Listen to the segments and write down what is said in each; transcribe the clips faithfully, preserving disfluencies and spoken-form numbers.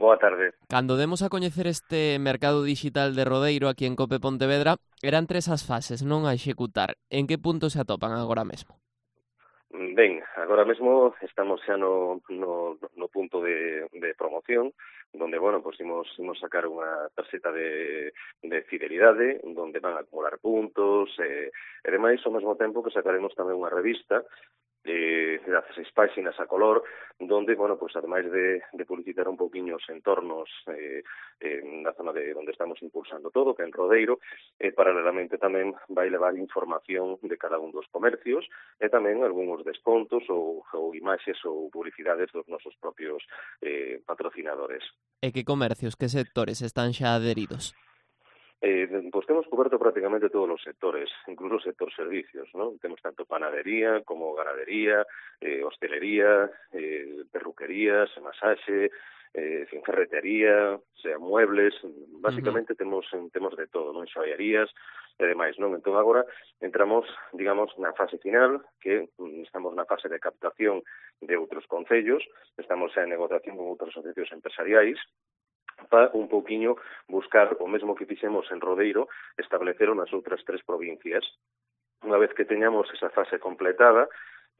Boa tarde. Cando demos a coñecer este mercado digital de Rodeiro aquí en Cope Pontevedra, eran tres as fases, non a executar. En que punto se atopan agora mesmo? Ben, agora mesmo estamos xa no, no, no punto de, de promoción, donde, bueno, pues imos, imos sacar unha tarxeta de, de fidelidade, donde van a acumular puntos, e, e demais, ao mesmo tempo que sacaremos tamén unha revista de dezasseis páxinas a color, donde, bueno, pues ademais de, de publicitar un pouquiño os entornos eh, eh, na zona de onde estamos impulsando todo, que é en Rodeiro, eh, paralelamente tamén vai levar información de cada un dos comercios e tamén algúns descontos ou, ou imaxes ou publicidades dos nosos propios eh, patrocinadores. E que comercios, que sectores están xa adheridos? Eh, pues temos coberto prácticamente todos os sectores, incluso o sector servicios, ¿no? Temos tanto panadería como ganadería, eh, hostelería, eh, perruquerías, masaxe, eh, ferretería, sea muebles, básicamente uh-huh. temos temos de todo, non? Xoiarías e demais, non? Entón agora entramos, digamos, na fase final, que estamos na fase de captación de outros concellos, estamos xa en negociación con outras asociacións empresariais, para un pouquiño buscar o mesmo que fixemos en Rodeiro, establecer nas outras tres provincias. Unha vez que teñamos esa fase completada,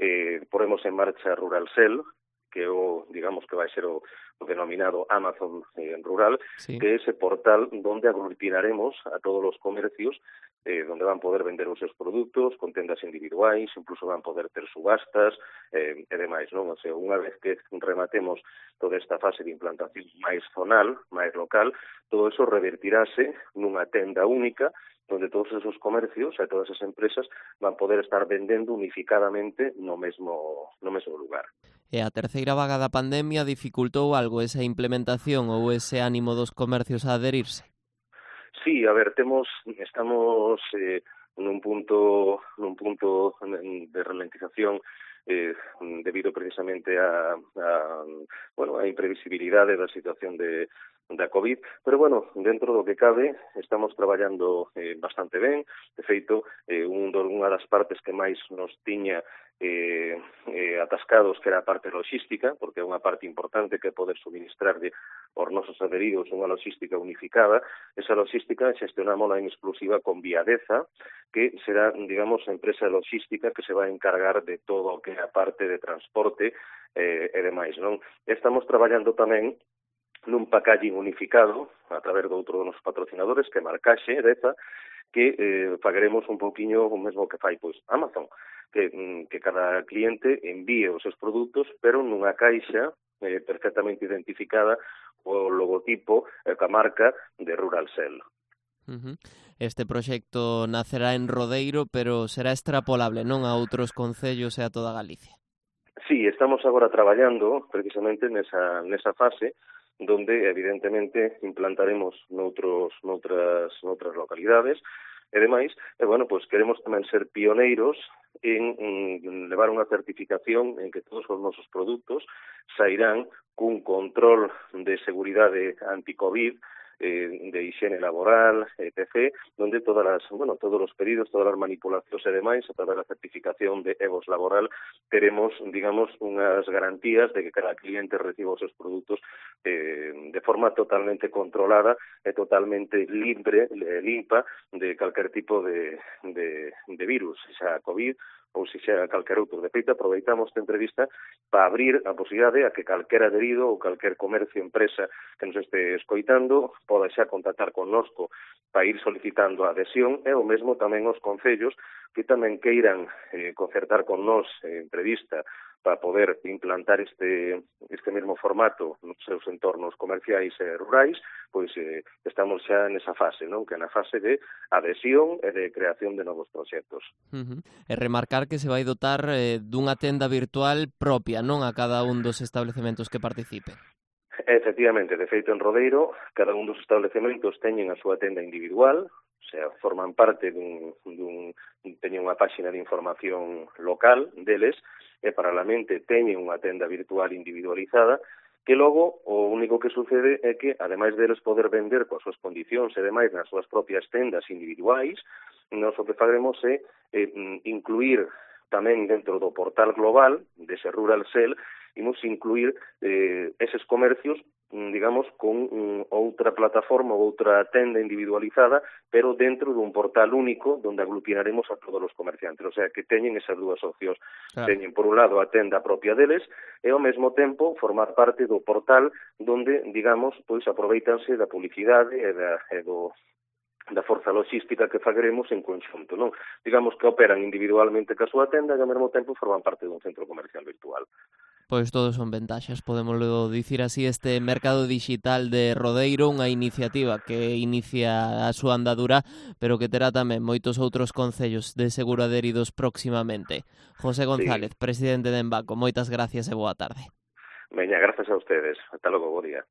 eh, poremos en marcha Ruralsel, que o, digamos que vai ser o, o denominado Amazon eh, rural, sí. que é ese portal donde aglutinaremos a todos os comercios, eh, donde van poder vender os seus produtos, con tendas individuais, incluso van poder ter subastas eh, e demais, non? O sea, unha vez que rematemos toda esta fase de implantación máis zonal, máis local, todo eso revertirase nunha tenda única, donde todos esos comercios e todas esas empresas van poder estar vendendo unificadamente no mesmo, no mesmo lugar. E a terceira vaga da pandemia dificultou algo esa implementación ou ese ánimo dos comercios a adherirse? Sí, a ver, temos, estamos eh, nun punto, nun punto de ralentización eh, debido precisamente a, a, bueno, a imprevisibilidade da situación de da COVID, pero bueno, dentro do que cabe, estamos traballando eh, bastante ben. De feito, eh, un do, unha das partes que máis nos tiña eh, eh, atascados, que era a parte logística, porque é unha parte importante que é poder suministrarlle aos nosos adheridos unha logística unificada. Esa logística xestionámola en exclusiva con Viadeza, que será, digamos, a empresa logística que se vai encargar de todo o que é a parte de transporte eh, e demais, non? Estamos traballando tamén nun packaging unificado a través de outro dos patrocinadores, que é Marcaxe, Deza, que eh, pagaremos un pouquiño o mesmo que fai pois Amazon, que, que cada cliente envíe os seus produtos, pero nunha caixa eh, perfectamente identificada o logotipo e eh, a marca de Ruralsel. Uh-huh. Este proxecto nacerá en Rodeiro, pero será extrapolable, non, a outros concellos e a toda Galicia? Sí, estamos agora traballando precisamente nesa, nesa fase, donde evidentemente implantaremos noutros, noutras, noutras localidades e demais, e bueno, pues queremos tamén ser pioneiros en, en levar unha certificación en que todos os nosos produtos sairán cun control de seguridade anti-COVID, eh, de higiene laboral, etcétera, donde todas las, bueno, todos los pedidos, todas as manipulacións e demais, a través da certificación de E V O S laboral, teremos, digamos, unhas garantías de que cada cliente reciba os seus produtos eh, de forma totalmente controlada e totalmente libre, limpa de calquer tipo de, de, de virus, xa COVID ou se xa calquer outro. De feito, aproveitamos esta entrevista para abrir a posibilidade a que calquer adherido ou calquer comercio, empresa que nos este escoitando poda xa contactar connosco para ir solicitando a adhesión, e o mesmo tamén os concellos que tamén queiran eh, concertar con nós eh, entrevista para poder implantar este este mesmo formato nos seus entornos comerciais e rurais, pois eh, estamos xa nesa fase, non? Que é na fase de adhesión e de creación de novos proxectos. Uh-huh. E remarcar que se vai dotar eh, dunha tenda virtual propia, non, a cada un dos establecementos que participen. Efectivamente, de feito en Rodeiro, cada un dos establecementos teñen a súa tenda individual, o sea, forman parte dun, dun teñen unha páxina de información local deles, e paralelamente teñen unha tenda virtual individualizada, que logo o único que sucede é que, ademais deles poder vender coas súas condicións e demais nas súas propias tendas individuais, nós o que faremos é eh, incluir tamén dentro do portal global dese Ruralsel, imos incluir eh, eses comercios digamos, con um, outra plataforma ou outra tenda individualizada, pero dentro dun portal único donde aglutinaremos a todos os comerciantes. O sea, que teñen esas dúas opcións. Claro. Teñen, por un lado, a tenda propia deles e, ao mesmo tempo, formar parte do portal donde, digamos, pois aproveitanse da publicidade e, da, e do da forza logística que fagremos en conxunto, non? Digamos que operan individualmente ca súa tenda e ao mesmo tempo forman parte dun centro comercial virtual. Pois todos son ventaxas, podemoslo dicir así, este mercado digital de Rodeiro, unha iniciativa que inicia a súa andadura, pero que terá tamén moitos outros concellos de seguro adheridos próximamente. José González, sí. Presidente de Embaco, moitas gracias e boa tarde. Veña, gracias a ustedes. Ata logo, bo día.